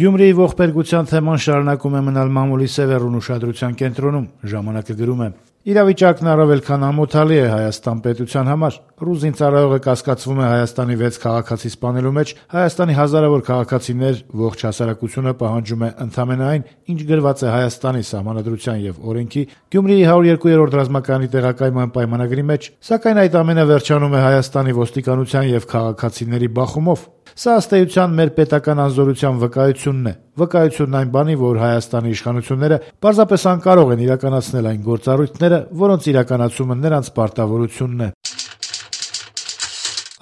Գյումրիի ողբերգության թեման շարունակում է մնալ մամուլի սևեռուն ուշադրության կենտրոնում, ժամանակը գրում է. Իրավիճակն առավել քան ամոթալի է Հայաստան պետության համար։ Ռուս զինծառայողը կասկածվում է Հայաստանի 6 քաղաքացի սպանելու մեջ, Հայաստանի հազարավոր քաղաքացիներ, ողջ հասարակությունը պահանջում է ընդամենը այն, ինչ գրված է Հայաստանի սահմանադրության եւ օրենքի, Գյումրիի 102-րդ ռազմակայանի տեղակայման պայմանագրի մեջ, սակայն այդ ամենը վերջանում է Հայաստանի ոստիկանության եւ քաղաքացիների բախումով։ Սա ըստ էության մեր պետական անզորության վկայությունն է։ Վկայությունն այն բանի, որ Հայաստանի իշխանությունները պարզապես անկարող են իրականացնել այն գործառույթները, որոնց իրականացումը նրանց պարտավորությունն է։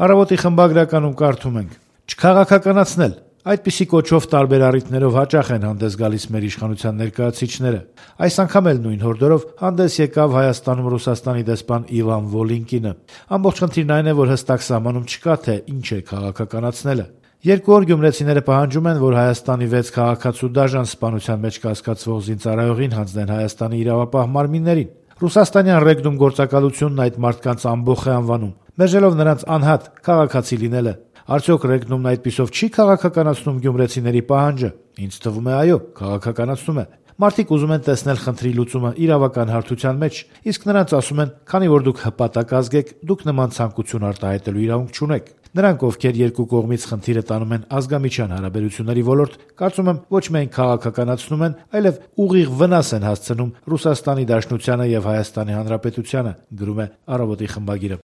Առավոտի խմբագրականում կարդում ենք. «Չքաղաքականացնել». Այդպիսի կոչով տարբեր առիթներով հաճախ են հանդես գալիս մեր իշխանության ներկայացուցիչները։ Այս անգամ էլ նույն հորդորով հանդես եկավ Հայաստանում Ռուսաստանի դեսպան Իվան Վոլինկինը։ Ամբողջ խնդիրն այն է, որ հստակ սահմանում չկա, թե ինչ է քաղաքականացնելը։ 2 օր գյումրեցիները պահանջում են, որ Հայաստանի 6 քաղաքացու դաժան սպանության մեջ կասկածվող զինծառայողին հանձնեն Հայաստանի իրավապահ մարմիններին։ Ռուսաստանյան ռեգնում գործակալությունն այդ մարդկանց ամբոխ է անվանում, մերժելով նրանց անհատ քաղաքացի լինելը։ Արդյոք ռեգնումն այդպիսով չի քաղաքականացնում գյումրեցիների պահանջը։ Ինձ թվում է, այո, քաղաքականացնում է։ Մարդիկ ուզում են տեսնել խնդրի լուծումը իրավական հարթության մեջ, իսկ նրանց ասում են, քանի որ դուք հպատակ ազգ եք, դուք նման ցանկություն արտահայտելու իրավունք չունեք։ Նրանք, ովքեր երկու կողմից խնդիրը տանում են ազգամիջյան հարաբերությունների ոլորտ, կարծում եմ, ոչ միայն քաղաքականացնում են, այլև ուղիղ վնաս են հասցնում Ռուսաստանի Դաշնությանը եւ Հայաստանի Հանրապետությանը, գրում է Առավոտի խմբագիրը։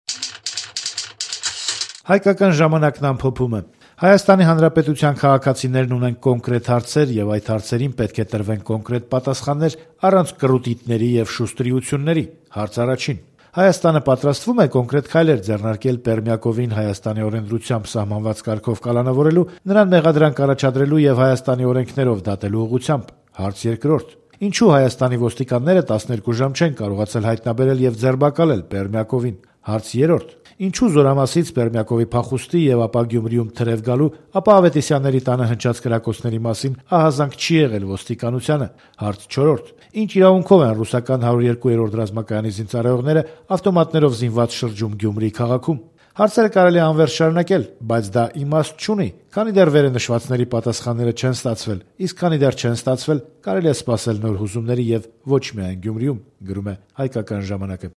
Հայկական ժամանակն ամփոփում է. Հայաստանի Հանրապետության քաղաքացիներն ունեն կոնկրետ հարցեր եւ այդ հարցերին պետք է տրվեն կոնկրետ պատասխաններ առանց կռուտիտների եւ շուստրիությունների։ Հարց առաջին. Հայաստանը պատրաստվում է կոնկրետ քայլեր ձեռնարկել Պերմյակովին Հայաստանի օրենսդրությամբ սահմանված կարգով կալանավորելու, նրան մեղադրանք առաջադրելու եւ Հայաստանի օրենքներով դատելու ուղղությամբ։ Հարց երկրորդ. Ինչու Հայաստանի ոստիկանները 12 ժամ չեն կարողացել հայտնաբերել եւ ձերբակալել Պերմյակովին։ Հարց երրորդ. Ինչու Զորամասից Պերմյակովի փախուստի եւ ապա Գյումրիում թրև գալու, ապա Ավետիսյանների տանը հնչած կրակոցների մասին ահազանգ չի եղել ոստիկանությանը։ Հարց չորրորդ. Ինչ իրավունքով են ռուսական 102-րդ ռազմակայանի զինծառայողները ավտոմատներով զինված շրջում Գյումրի քաղաքում։ Հարցերը կարելի է անվերջ շարունակել, բայց դա իմաստ չունի, քանի դեռ վերնշվածների պատասխանները չեն ստացվել, իսկ քանի դեռ չեն ստացվել, կարելի է սպասել նոր հուզումների եւ ոչ միայն Գյումրիում, գրում է Հայկական ժամանակը։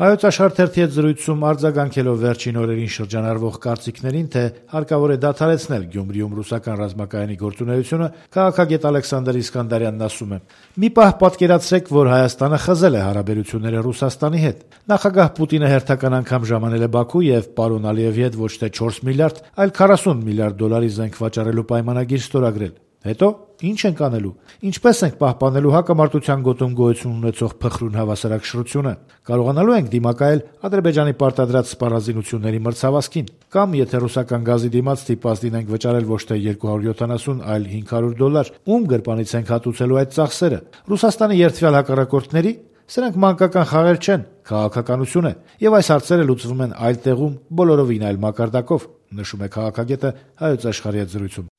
Հայոց Աշխարհ թերթի հետ զրույցում արձագանքելով վերջին օրերին շրջանառվող կարծիքներին, թե հարկավոր է դադարեցնել Գյումրիում ռուսական ռազմակայանի գործունեությունը, քաղաքագետ Ալեքսանդր Իսկանդարյանն ասում է. «Մի պահ պատկերացրեք, որ Հայաստանը խզել է հարաբերությունները Ռուսաստանի հետ։ Նախագահ Պուտինը հերթական անգամ ժամանել է Բաքու եւ պարոն Ալիևի հետ ոչ թե 4 միլիարդ, այլ 40 միլիարդ դոլարի զենք վաճառելու պայմանագիր ստորագրել։ Հետո ինչ ենք անելու։ Ինչպես ենք պահպանելու հակամարտության գոտում գոյություն ունեցող փխրուն հավասարակշռությունը։ Կարողանալու ենք դիմակայել Ադրբեջանի պարտադրած սպառազինությունների մրցավազքին։ Կամ եթե ռուսական գազի դիմաց ստիպված լինենք վճարել ոչ թե 270, այլ $500, ում գրպանից ենք հատուցելու այդ ծախսերը։ Ռուսաստանի երդվյալ հակառակորդների։ Սրանք մանկական խաղեր չեն, քաղաքականություն է, եւ այս հարցերը լուծվում են այլ տեղում, բոլորովին այլ մակարդակով», նշում է քաղաքագետը Հայոց Աշխարհի հետ զրույցում։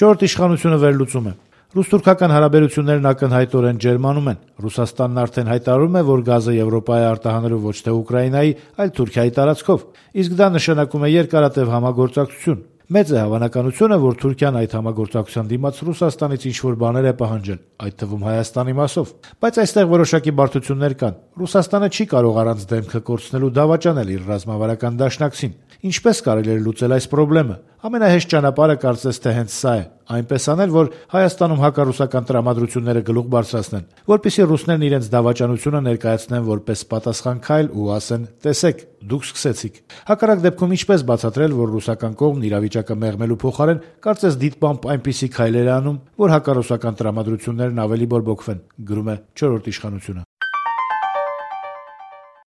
Չորրորդ իշխանությունը վերլուծում է. Ռուս-թուրքական հարաբերություններն ակնհայտորեն ջերմանում են։ Ռուսաստանն արդեն հայտարարում է, որ գազը Եվրոպա է արտահանելու ոչ թե Ուկրաինայի, այլ Թուրքիայի տարածքով, իսկ դա նշանակում է երկարատև համագործակցություն։ Մեծ է հավանականությունը, որ Թուրքիան այդ համագործակցության դիմաց Ռուսաստանից ինչ-որ բաներ է պահանջել, այդ թվում Հայաստանի մասով։ Բայց այստեղ որոշակի բարդություններ կան։ Ռուսաստանը չի կարող առանց դեմքը կորցնելու դավաճանել իր ռազմավարական դաշնակցին։ Ինչպես կարելի է լուծել այս խնդրը։ Ամենահեշտ ճանապարհը կարծես թե հենց սա է, այնպես անել, որ Հայաստանում հակառուսական տրամադրությունները գլուխ բարձրացնեն, որպեսզի ռուսներն իրենց դավաճանությունը ներկայացնեն որպես պատասխան քայլ ու ասեն. «Տեսեք, դուք սկսեցիք»։ Հակառակ դեպքում ինչպես բացատրել, որ ռուսական կողմն իրավիճակը մեղմելու փոխարեն կարծես դիտմամբ այնպիսի քայլեր է անում, որ հակառուսական տրամադրություններն ավելի բորբոքվեն, գրում է Չորրորդ իշխանությունը։